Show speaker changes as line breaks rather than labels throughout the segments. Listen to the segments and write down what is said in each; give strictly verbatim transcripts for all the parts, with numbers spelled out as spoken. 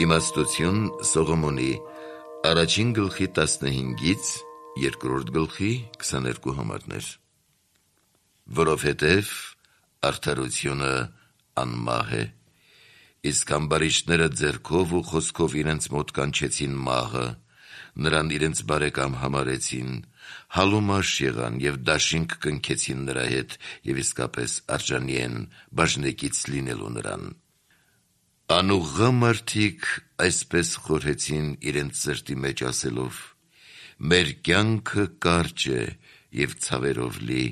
Իմաստություն Սողոմոնի առաջին գլխի տասնհինգից երկրորդ գլխի քսաներկու համարներ։ Որովհետև արդարությունը անմահ է, իսկ ամբարիշտները ձեռքով ու խոսքով իրենց մոտ կանչեցին մահը, նրան իրենց բարեկամ համարեցին, հալումաշ եղան և դաշինք կնքեցին նրա հետ և իսկապես արժանի են բաժնեկից լինելու նրան։ Անուղղա մարդիկ այսպես խորհեցին իրենց սրտի մեջ ասելով. մեր կյանքը կարճ է և ցավերով լի,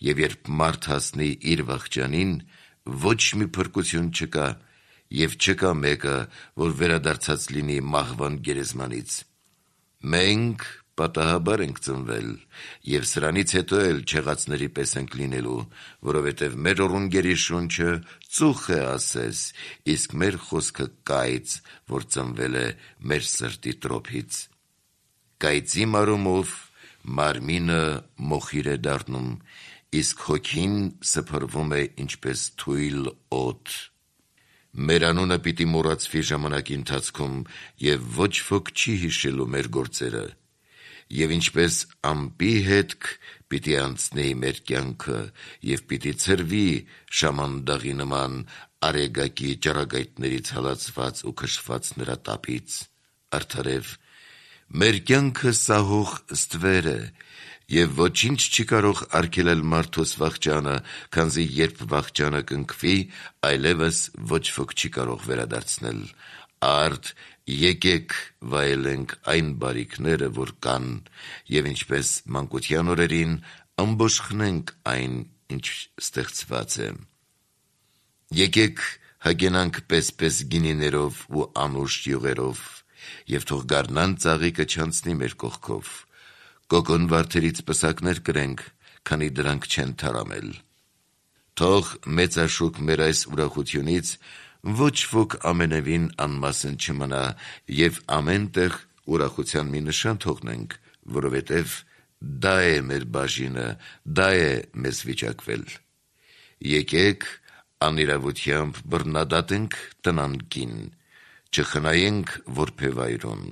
և երբ մարդ հասնի իր վախճանին, ոչ մի փրկություն չկա, և չկա մեկը, որ վերադարձած լինի մահվան գերեզմանից։ Մենք պատահաբար ենք ծնվել, և սրանից հետո էլ չեղածների պես ենք լինելու, որովհետև մեր ռունգերի շունչը ծուխ է ասես, իսկ մեր խոսքը կայծ, որ ծնվել է մեր սրտի տրոփից։ Կայծի մարումով մարմինը մոխիր է դառնում, իսկ հոգին սփռվում է ինչպես թույլ օդ։ Մեր անունը պիտի մոռացվի ժամանակի ընթացքում, և ոչ ոք չի հիշելու մեր գործերը, և ինչպես ամպի հետք պիտի անցնի մեր կյանքը, և պիտի ցրվի շամանդաղի նման արեգակի ճառագայթներից հալածված ու քշված նրա տապից։ Արդարև մեր կյանքը սահող ստվեր է, և ոչինչ չի կարող արգելել մարդուս վախճանը, քանզի երբ վախճանը կնքվի, այլևս ոչ ոք չի կարող վերադարձնել։ Արդ եկեք վայելենք այն բարիքները, որ կան, և ինչպես մանկության օրերին ամբոշխնենք այն, ինչ ստեղծված է։ Եկեք հագենանք պես-պես գինիներով ու անուշ յուղերով, և թող գարնան ծաղիկը չանցնի մեր կողքով, կոկոն վարդերից պսակներ կրենք, քանի դրանք չեն թարամել։ Թող մեծաշուք մեր այս ուրախությունից ոչ ոք ամենևին անմասն չմնա, և ամեն տեղ ուրախության մի նշան թողնենք, որովհետև դա է մեր բաժինը, դա է մեզ վիճակվել։ Եկեք անիրավությամբ բռնադատենք տնանկին, չխնայենք որբևայրուն,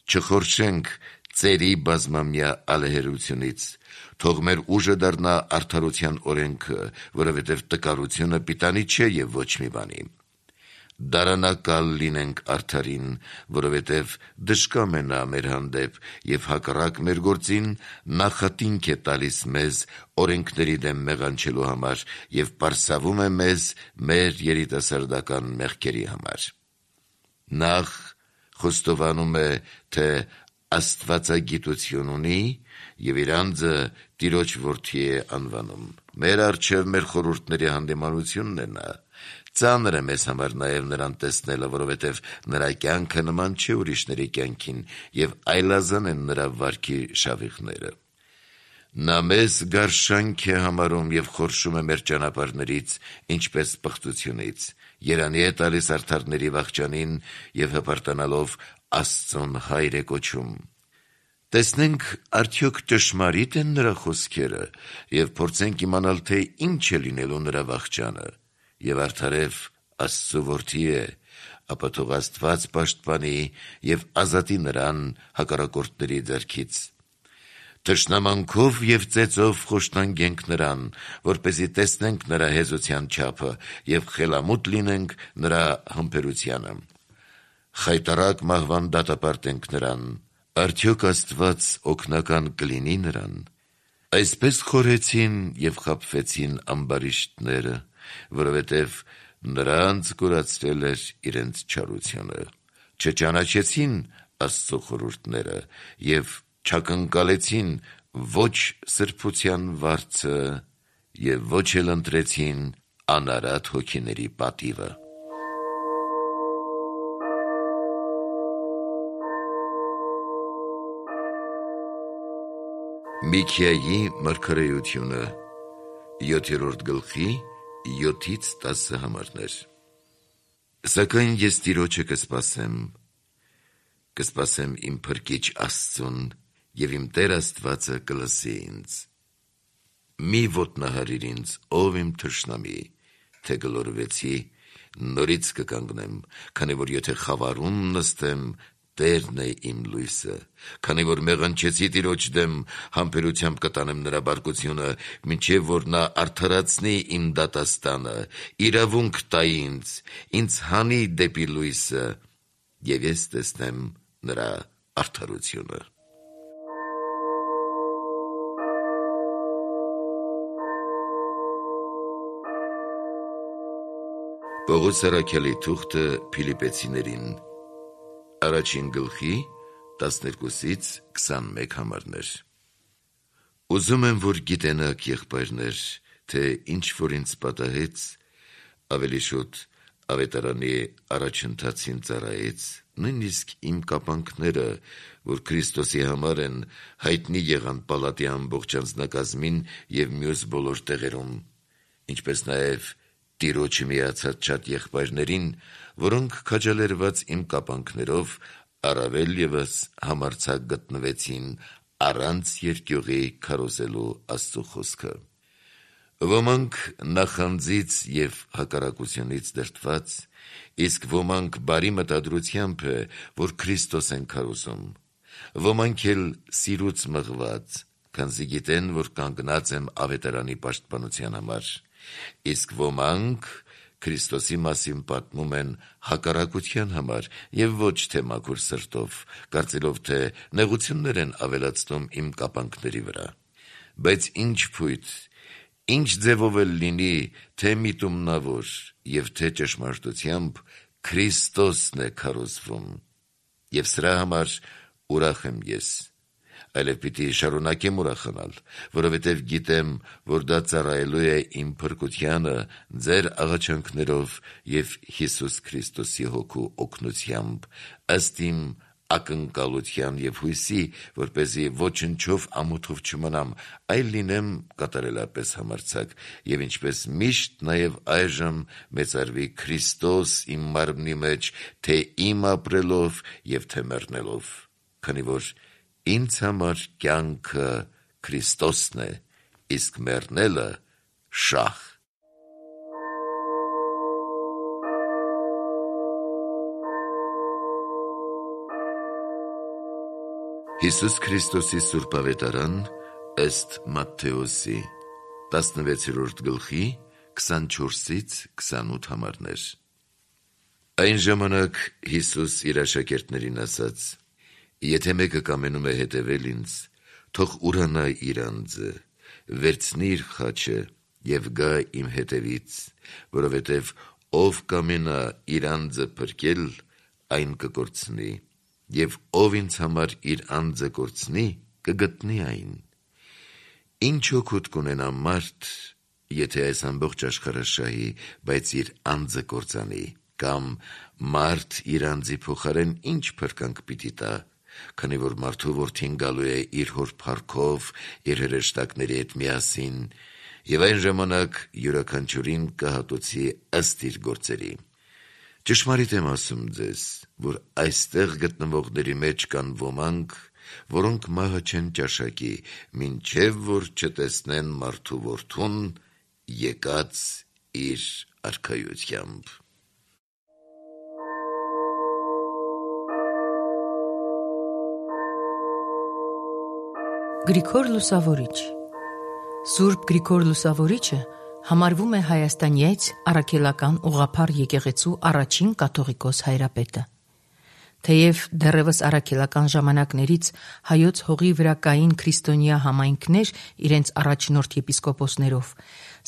չխորշենք ծերի բազմամյա ալեհերությունից, թող մեր ուժը դառնա արդարության օրենքը, որովհետև տկարությունը պիտանի չէ և ոչ մի բանի։ Դարանակալ լինենք արդարին, որովհետև դժկամ է նա մեր հանդեպ, և հակառակ մեր գործին նախատինք է տալիս մեզ օրենքների դեմ մեղանչելու համար և պարսավում է մեզ մեր երիտասարդական մեղքերի համար։ Նախ խոստովանում է, թե աստվածագիտություն ունի և իր անձը Տիրոջ որդի է անվանում։ Մեր առջև մեր խորհուրդների հանդիմանությունն է նա։ Ծանր է մեզ համար նաև նրան տեսնելը, որովհետև նրա կյանքը նման չէ ուրիշների կյանքին, և այլազան են նրա վարքի շավիղները։ Նա մեզ գարշանք է համարում և խորշում է մեր ճանապարհներից, ինչպես պղծությունից, երանի է տալիս արդարների վախճանին և հպարտանալով Աստծուն հայր է կոչում։ Տեսնենք արդյոք ճշմարի՞տ են նրա խոսքերը, և փորձենք իմանալ, թե ինչ է լինելու նրա վախճանը, և արդարև Աստծու որդի է, ապա թող Աստված պաշտպանի և ազատի նրան հակառակորդների ձեռքից։ Թշնամանքով և ծեծով խոշտանգենք նրան, որպեսզի տեսնենք նրա հեզության չափը և խելամուտ լինենք նրա համբերությանը։ Խայտառակ մահվան դատապարտենք նրան, արդյոք Աստված օգնական կլինի նրան։ Այսպես խորհեցին և խաբվեցին ամբարիշտները, որովհետև նրանց կորացրել էր իրենց չարությունը, չճանաչեցին Աստծու խորհուրդները և չակնկալեցին ոչ սրբության վարձը և ոչ էլ ընտրեցին անարատ հոգիների պատիվը։ Միքիայի մարգարեությունը յոթերորդ գլխի յոթից տասը համարներ։ Սակայն ես Տիրոջը կսպասեմ, կսպասեմ իմ փրկիչ Աստծուն, և իմ Տեր Աստվածը կլսի ինձ։ Մի ոտնահարիր ինձ, ով իմ թշնամի, թե գլորվեցի, նորից կկանգնեմ, քանի որ եթե խավարում նստեմ, Տերն է իմ լույսը, քանի որ մեղանչեցի Տիրոջ դեմ, համբերությամբ կտանեմ նրա բարկությունը, մինչև որ նա արդարացնի իմ դատաստանը, իրավունք տա ինձ, ինձ հանի դեպի լույսը, և ես տեսնեմ նրա արդարությունը։ Պողոս առաքյալի թուղթը Փիլիպպեցիներին Առաջին գլխի տասներկուսից քսանմեկ համարներ։ Ուզում եմ, որ գիտենաք, եղբայրներ, թե ինչ որ ինձ պատահեց, ավելի շուտ ավետարանի առաջընթացին ծառայեց, նույնիսկ իմ կապանքները, որ Քրիստոսի համար են, հայտնի եղան պալատի ամբողջ անձնակազմին և մյուս բոլոր տեղերում, ինչպես նաև Տիրոջը միացած շատ եղբայրներին, որոնք քաջալերված իմ կապանքներով առավել ևս համարձակ գտնվեցին առանց երկյուղի քարոզելու Աստծու խոսքը։ Ոմանք նախանձից և հակառակությունից դրդված, իսկ ոմանք բարի մտադրությամբ է, որ Քրիստոս են քարոզում, ոմանք էլ սիրուց մղված, քանզի գիտեն, որ կանգնած եմ ավետարանի պաշտպանության համար, իսկ ոմանք Քրիստոսի մասին պատմում են հակառակության համար և ոչ թե մաքուր սրտով, կարծելով, թե նեղություններ են ավելացնում իմ կապանքների վրա։ Բայց ինչ փույթ, ինչ ձևով էլ լինի, թե միտումնավոր և թե ճշմարտությամբ, Քրիստոսն է քարոզվում, և սրա համար ուրախ եմ ես, այլև պիտի շարունակեմ ուրախանալ, որովհետև գիտեմ, որ դա ծառայելու է իմ փրկությանը ձեր աղաչանքներով և Հիսուս Քրիստոսի հոգու օգնությամբ, ըստ իմ ակնկալության և հույսի, որպեսզի ոչնչով ամոթով չմնամ, այլ լինեմ կատարելապես համարձակ, և ինչպես միշտ նաև այժմ մեծարվի Քրիստոս իմ մարմնի մեջ, թե իմ ապրելով և թե մեռնելով, քանի որ ինձ համար կյանքը Քրիստոսն է, իսկ մեռնելը շահ։ Հիսուս Քրիստոսի Սուրբ Ավետարան ըստ Մատթեոսի տասնվեցերորդ գլխի քսանչորսից քսանութ համարներ։ Այն ժամանակ Հիսուս իր աշակերտներին ասաց. «Եթե մեկը կամենում է հետևել ինձ, թող ուրանա իր անձը, վերցնի իր խաչը և գա իմ հետևից, որովհետև ով կամենա իր անձը փրկել, այն կկորցնի, և ով ինձ համար իր անձը կորցնի, կգտնի այն։ Ինչ օգուտ կունենա մարդ, եթե այս ամբողջ աշխարհը շահի, բայց իր անձը կործանի, կամ մարդ իր անձի փոխարեն ինչ փրկանք պիտի տա, քանի որ մարդու որդին գալու է իր հոր փառքով, իր հրեշտակների հետ միասին, և այն ժամանակ յուրաքանչյուրին կհատուցի ըստ իր գործերի։ Ճշմարիտ եմ ասում ձեզ, որ այստեղ գտնվողների մեջ կան ոմանք, որոնք մահը չեն ճաշակի, մինչև որ չտեսնեն մարդու որդուն եկած իր արքայությամբ»։
Գրիգոր Լուսավորիչ Սուրբ Գրիգոր Լուսավորիչը համարվում է Հայաստանյաց առաքելական ուղղափառ եկեղեցու առաջին կաթողիկոս հայրապետը։ Թեև դեռևս առաքելական ժամանակներից հայոց հողի վրա կային քրիստոնյա համայնքներ իրենց առաջնորդ եպիսկոպոսներով,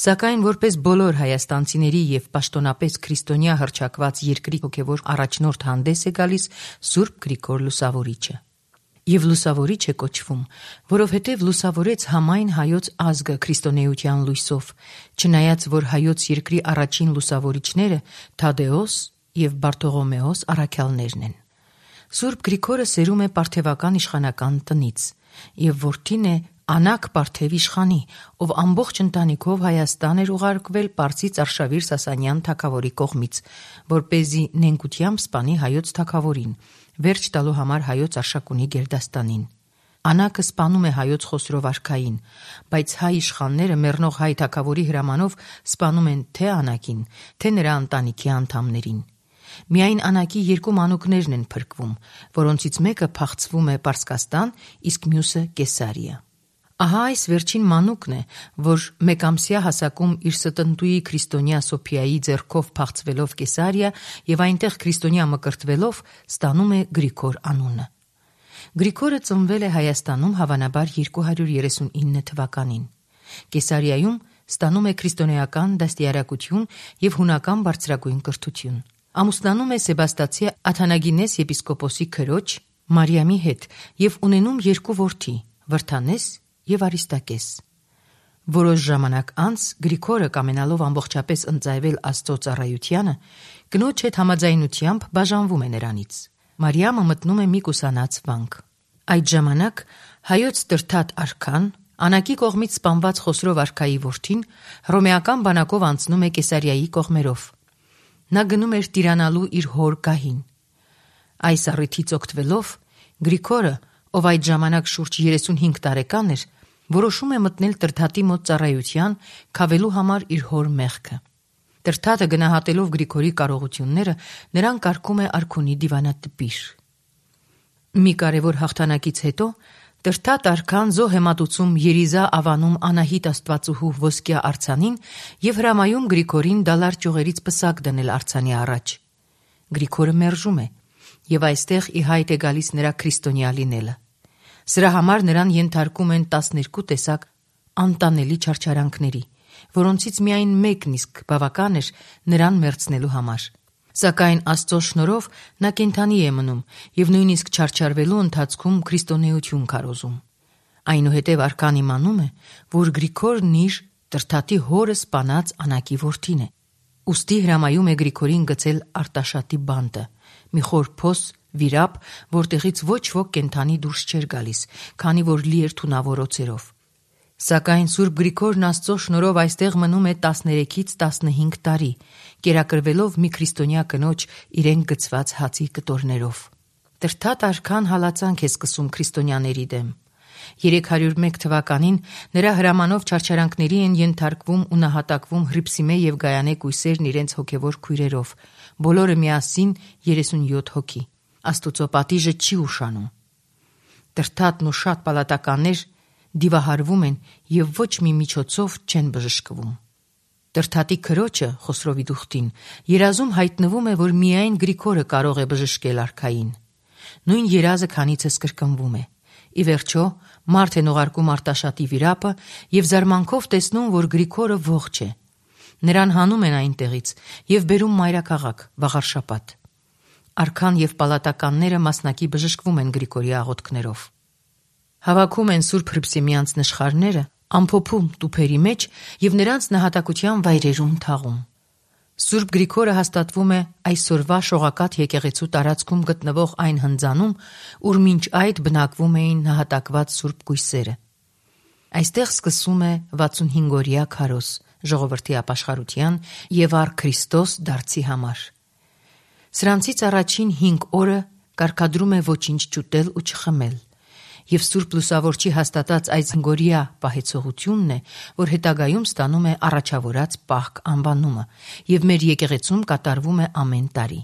սակայն որպես բոլոր հայաստանցիների և պաշտոնապես քրիստոնյա հռչակված երկրի հոգևոր առաջնորդ հանդես է գալիս Սուրբ Գրիգոր Լուսավորիչը։ Եվ լուսավորիչ է կոչվում, որովհետև լուսավորեց համայն հայոց ազգը քրիստոնեության լույսով, չնայած որ հայոց երկրի առաջին լուսավորիչները Թադեոս և Բարթողոմեոս առաքյալներն են։ Սուրբ Գրիգորը սերում է պարթևական իշխանական տնից և որդին է Անակ Պարթև իշխանի, ով ամբողջ ընտանիքով Հայաստան էր ուղարկվել Պարսից Արշավիր Սասանյան թագավորի կողմից, որպեսզի նենգությամբ սպանի հայոց թագավորին, վերջ տալու համար հայոց Արշակունի գերդաստանին։ Անակը սպանում է հայոց Խոսրով արքային, բայց հայ իշխանները մեռնող հայ թագավորի հրամանով սպանում են թե Անակին, թե նրա ընտանիքի անդամներին։ Միայն Անակի երկու մանուկներն են փրկվում, որոնցից մեկը փախցվում է Պարսկաստան, իսկ մյուսը Կեսարիա։ Ահա այս վերջին մանուկն է, որ մեկամսյա հասակում իր ստնտուի քրիստոնյա Սոփիայի ձեռքով փախցվելով Կեսարիա եւ այնտեղ քրիստոնյա մկրտվելով ստանում է Գրիգոր անունը։ Գրիգորը ծնվել է Հայաստանում հավանաբար երկու հարյուր երեսունինը թվականին։ Կեսարիայում ստանում է քրիստոնեական դաստիարակություն եւ հունական բարձրագույն կրթություն։ Ամուսնանում է Սեբաստացի Աթանագինես եպիսկոպոսի քրոջ Մարիամի հետ եւ ունենում երկու որդի՝ Վրթանես եւ Արիստակես։ Որոշ ժամանակ անց Գրիգորը կամենալով ամբողջապես ընծայվել Աստծո ծառայությանը, կնոջ հետ համաձայնությամբ բաժանվում է նրանից։ Մարիամը մտնում է մի կուսանած վանք։ Այդ ժամանակ հայոց Տրթատ արքան, Անակի կողմից սպանված Խոսրով արքայի որդին, հռոմեական բանակով անցնում է Կեսարիայի կողմերով։ Նա գնում էր տիրանալու իր հոր գահին։ Այս առիթից օգտվելով Գրիգորը, ով այդ ժամանակ շուրջ երեսունհինգ տարեկան էր, որոշում է մտնել Տրթատի մոտ ծառայության, քավելու համար իր հոր մեղքը։ Տրթատը գնահատելով Գրիգորի կարողությունները, նրան կարգում է արքունի դիվանատպիր։ Մի կարևոր հաղթանակից հետո Տրթատ արքան զոհ է մատուցում Երիզա ավանում Անահիտ աստվածուհու ոսկյա արձանին եւ հրամայում Գրիգորին դալար ճյուղերից պսակ դնել արձանի առաջ։ Գրիգորը մերժում է եւ այստեղ ի հայտ է գալիս նրա քրիստոնյա լինելը։ Սրա համար նրան ենթարկում են տասներկու տեսակ անտանելի չարչարանքների, որոնցից միայն մեկն իսկ բավական էր նրան մերձնելու համար։ Սակայն Աստծո շնորհով նա կենդանի է մնում եւ նույնիսկ չարչարվելու ընթացքում քրիստոնեություն քարոզում։ Այնուհետև արքան իմանում է, որ Գրիգորն իր Տրթատի հորը սպանած Անակի որդին է։ Ուստի հրամայում է Գրիգորին գցել Արտաշատի բանտը, մի խոր փոս, վիրապ, որտեղից ոչ ոք կենդանի դուրս չէր գալիս, քանի որ լի էր թունավոր օձերով։ Սակայն Սուրբ Գրիգորն Աստծո շնորհով այստեղ մնում է տասներեքից տասնհինգ տարի, կերակրվելով մի քրիստոնյա կնոջ իրեն գցված հացի կտորներով։ Տրթատ արքան հալածանք է սկսում քրիստոնյաների դեմ։ երեք հարյուր մեկ թվականին նրա հրամանով չարչարանքների են ենթարկվում ու նահատակվում Հրիփսիմե եւ Գայանե կույսերն իրենց հոգեվոր քույրերով, բոլորը միասին երեսունյոթ հոգի։ Աստուծո պատիժը չի ուշանում։ Տրթատն ու շատ պալատականներ դիվահարվում են եւ ոչ մի միջոցով չեն բժշկվում։ Տրթատի քրոջը Խոսրովի դուխտին երազում հայտնվում է, որ միայն Գրիգորը կարող է բժշկել արքային։ Նույն երազը քանիցս կրկնվում է։ Ի վերջո մարդ են ուղարկում Արտաշատի վիրապը եւ զարմանքով տեսնում, որ Գրիգորը ողջ է։ Նրան հանում են այնտեղից եւ բերում մայրաքաղաք Վաղարշապատ։ Արքան եւ պալատականները մասնակի բժշկվում են Գրիգորի աղոթքներով։ Հավաքում են Սուրբ Հրիփսիմյանց նշխարները ամփոփում տուփերի մեջ եւ նրանց նահատակության վայրերում թաղում։ Սուրբ Գրիգորը հաստատվում է այսօրվա Շողակաթ եկեղեցու տարածքում գտնվող այն հնձանում, ուր մինչ այդ բնակվում էին նահատակված սուրբ կույսերը։ Այստեղ սկսում է վաթսունհինգօրյա քարոզ ժողովրդի ապաշխարության եւ առ Քրիստոս դարձի համար։ Սրանցից առաջին հինգ օրը կարգադրում է ոչինչ չուտել ու չխմել։ Եվ Սուրբ Լուսավորչի հաստատած այս հնգօրյա պահեցողությունն է, որ հետագայում ստանում է առաջավորած Պահք անվանումը եւ մեր եկեղեցում կատարվում է ամեն տարի։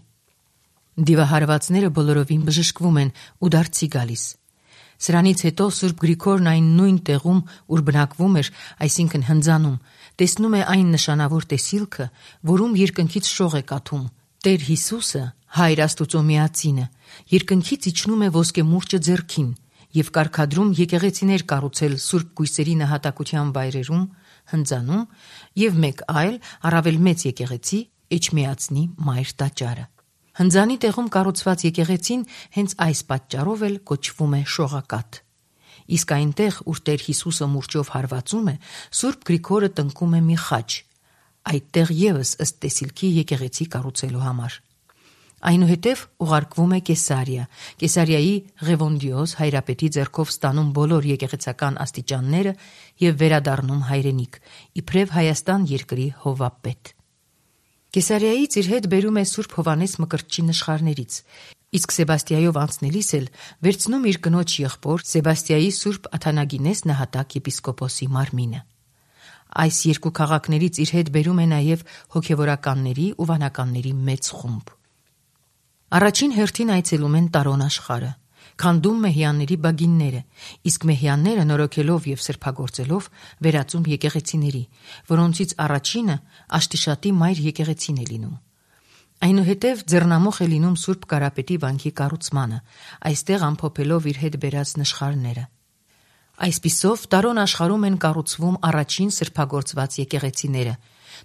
Դիվահարվածները բոլորովին բժշկվում են ու դարձի գալիս։ Սրանից հետո Սուրբ Գրիգորն այն նույն տեղում, ուր բնակվում էր, այսինքն հնձանում, տեսնում է այն նշանավոր տեսիլքը, որում երկնքից շող է կաթում։ Տեր Հիսուսը, Հայր Աստուծո Միածինը, երկնքից իջնում է ոսկե մուրճը ձեռքին եւ կարգադրում եկեղեցիներ կառուցել Սուրբ Կույսերի նահատակության վայրերում, հնձանում եւ մեկ այլ առավել մեծ եկեղեցի Էջմիածնի Մայր տաճարը։ Հնձանի տեղում կառուցված եկեղեցին հենց այս պատճառով էլ կոչվում է Շողակաթ։ Իսկ այնտեղ, ուր Տեր Հիսուսը մուրճով հարվածում է, Սուրբ Գրիգորը տնկում է մի խաչ, այդտեղ եւս ըստ տեսիլքի եկեղեցի կառուցելու համար։ Այնուհետև ուղարկվում է Կեսարիա։ Կեսարիայի Ղևոնդիոս հայրապետի ձեռքով ստանում բոլոր եկեղեցական աստիճանները եւ վերադառնում հայրենիք, իբրև Հայաստան երկրի հովապետ։ Կեսարիայից իր հետ բերում է Սուրբ Հովանես Մկրտչի նշխարներից, Իսկ Սեբաստիայով անցնելիս էլ վերցնում իր կնոջ եղբոր Սեբաստիայի Սուրբ Աթանագինես նահատակ եպիսկոպոսի մարմինը։ Այս երկու քաղաքներից իր հետ բերում է նաև հոգևորականների ու վանականների մեծ խումբ։ Առաջին հերթին այցելում են Տարոն աշխարհը, քանդում մեհյանների բագինները, իսկ մեհյանները նորոգելով եւ սրբագործելով վերածում եկեղեցիների, որոնցից առաջինը Աշտիշատի մայր եկեղեցին է լինում։ Այնուհետև ձեռնամուխ է լինում Սուրբ Կարապետի վանքի կառուցմանը, այստեղ ամփոփելով իր հետ բերած նշխարները։ Այսպիսով Տարոն աշխարհում են կառուցվում առաջին սրբագործված եկեղեցիները,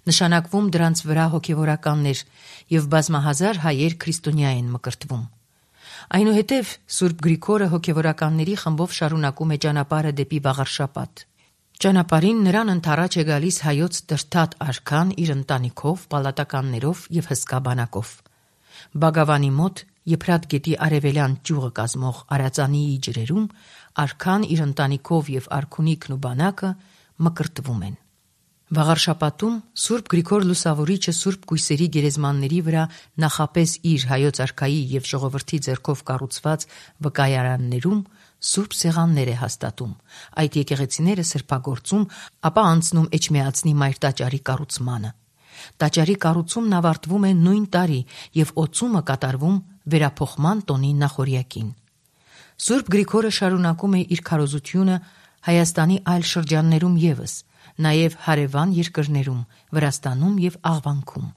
նշանակվում դրանց վրա հոգևորականներ եւ բազմահազար հայեր քրիստոնյա են մկրտվում։ Այնուհետև Սուրբ Գրիգորը հոգևորականների խմբով շարունակում է ճանապարհը դեպի Վաղարշապատ։ Ճանապարհին նրան ընթառաջ է գալիս հայոց Տրթատ արքան իր ընտանիքով, պալատականներով եւ հսկա բանակով։ Բագավանի մոտ Եփրատ գետի արևելյան ճյուղը կազմող Արածանիի ջրերում արքան իր ընտանիքով եւ արքունիքն ու բանակը մկրտվում են։ Վաղարշապատում Սուրբ Գրիգոր Լուսավորիչը Սուրբ Կույսերի գերեզմանների վրա նախապես իր հայոց արքայի եւ ժողովրդի ձեռքով կառուցված վկայարաններում Սուրբ սեղաններ է հաստատում, այդ եկեղեցիները սրբագործում, ապա անցնում Էջմիածնի մայր տաճարի կառուցմանը։ Տաճարի կառուցումն ավարտվում է նույն տարի եւ օծումը կատարվում վերափոխման տոնի նախօրյակին։ Սուրբ Գրիգորը շարունակում է իր քարոզությունը Հայաստանի այլ շրջաններում եւս, նաեւ հարևան երկրներում, Վրաստանում եւ Աղվանքում։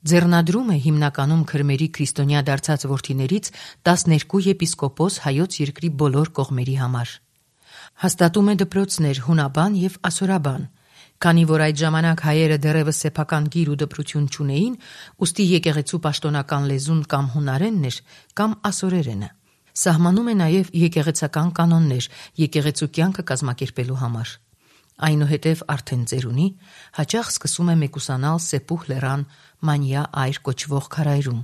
Ձեռնադրում է հիմնականում քրմերի քրիստոնյա դարձած որդիներից տասներկու եպիսկոպոս հայոց երկրի բոլոր կողմերի համար։ Հաստատում է դպրոցներ հունաբան եւ ասորաբան, քանի որ այդ ժամանակ հայերը դեռևս սեփական գիր ու դպրություն չունեին, ուստի եկեղեցու պաշտոնական լեզուն կամ հունարենն էր, կամ ասորերենը։ Սահմանում է նաեւ եկեղեցական կանոններ եկեղեցու կյանքը կազմակերպելու համար։ Այնուհետև արդեն ծերունի հաճախ սկսում է մեկուսանալ Սեպուհ լեռան Մանյա այր կոչվող քարայրում,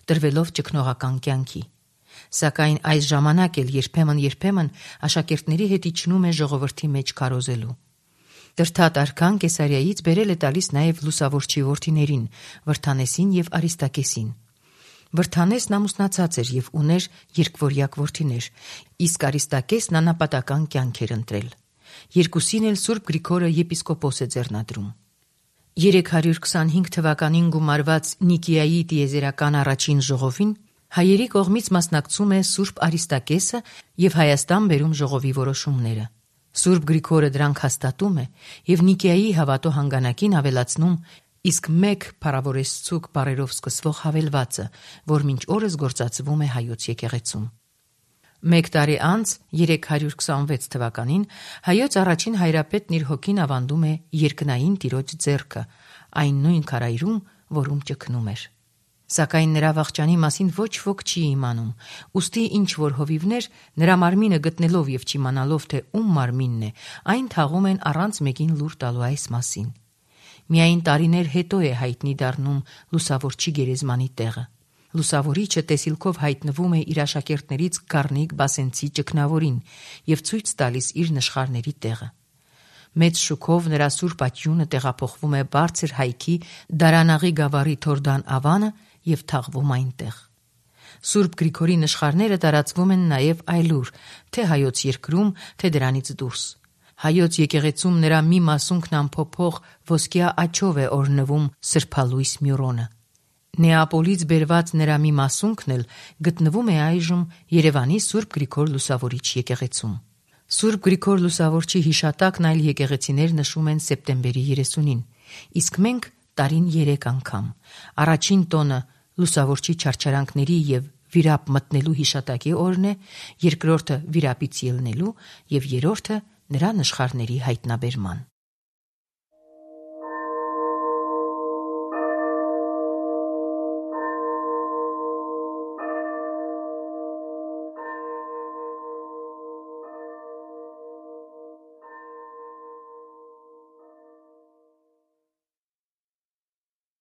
տրվելով ճգնողական կյանքի։ Սակայն այս ժամանակ էլ երբեմն-երբեմն աշակերտների հետ իջնում է ժողովրդի մեջ քարոզելու։ Տրթատ արքան Կեսարիայից բերել է տալիս նաև լուսավորչի որդիներին՝ Վրթանեսին եւ Արիստակեսին։ Վրթանեսն ամուսնացած էր եւ ուներ երկվորյակ որդիներ, իսկ Արիստակեսն անապատական կյանք էր ընտրել։ Երկուսին էլ Սուրբ Գրիգորը եպիսկոպոս է ձեռնադրում։ երեք հարյուր քսանհինգ թվականին գումարված Նիկիայի տիեզերական առաջին ժողովին հայերի կողմից մասնակցում է Սուրբ Արիստակեսը եւ Հայաստան բերում ժողովի որոշումները։ Սուրբ Գրիգորը դրանք հաստատում է եւ Նիկիայի հավատո հանգանակին ավելացնում իսկ մեկ փառավորեցուկ բառերով սկսվող հավելվածը, որ մինչ օրս գործածվում է հայոց եկեղեցում։ Մեկ տարի անց երեք հարյուր քսանվեց թվականին հայոց առաջին հայրապետն իր հոգին ավանդում է երկնային տիրոջ ձեռքը, այն նույն քարայրում, որում ճգնում էր։ Սակայն նրա վախճանի մասին ոչ ոք չի իմանում, ուստի ինչ որ հովիվներ նրա մարմինը գտնելով եւ չիմանալով թե ում մարմինն է, այն թաղում են առանց մեկին լուր տալու այս մասին։ Միայն տարիներ հետո է հայտնի դառնում լուսավորչի գերեզմանի տեղը։ Լուսավորիչը տեսիլքով հայտնվում է իր աշակերտներից Գառնիկ Բասենցի ճգնավորին եւ ցույց տալիս իր նշխարների տեղը։ Մեծ շուքով նրա սուրբ աճյունը տեղափոխվում է բարձր հայքի Դարանաղի գավառի Թորդան ավանը եւ թաղվում այնտեղ։ Սուրբ Գրիգորի նշխարները տարածվում են նաեւ այլուր, թե հայոց երկրում, թե դրանից դուրս։ Հայոց եկեղեցում նրա մի մասունքն ամփոփող ոսկյա աջով է օրնվում սրբալույս Մյուրոնը։ Նեապոլից բերված նրա մի մասունքն էլ գտնվում է այժմ Երևանի Սուրբ Գրիգոր Լուսավորիչ եկեղեցում։ Սուրբ Գրիգոր Լուսավորչի հիշատակն այլ եկեղեցիներ նշում են սեպտեմբերի երեսունին, իսկ մենք տարին երեք անգամ։ Առաջին տոնը Լուսավորչի չարչարանքների եւ վիրապ մտնելու հիշատակի օրն է, երկրորդը վիրապից ելնելու եւ երրորդը նրա նշխարների հայտնաբերման։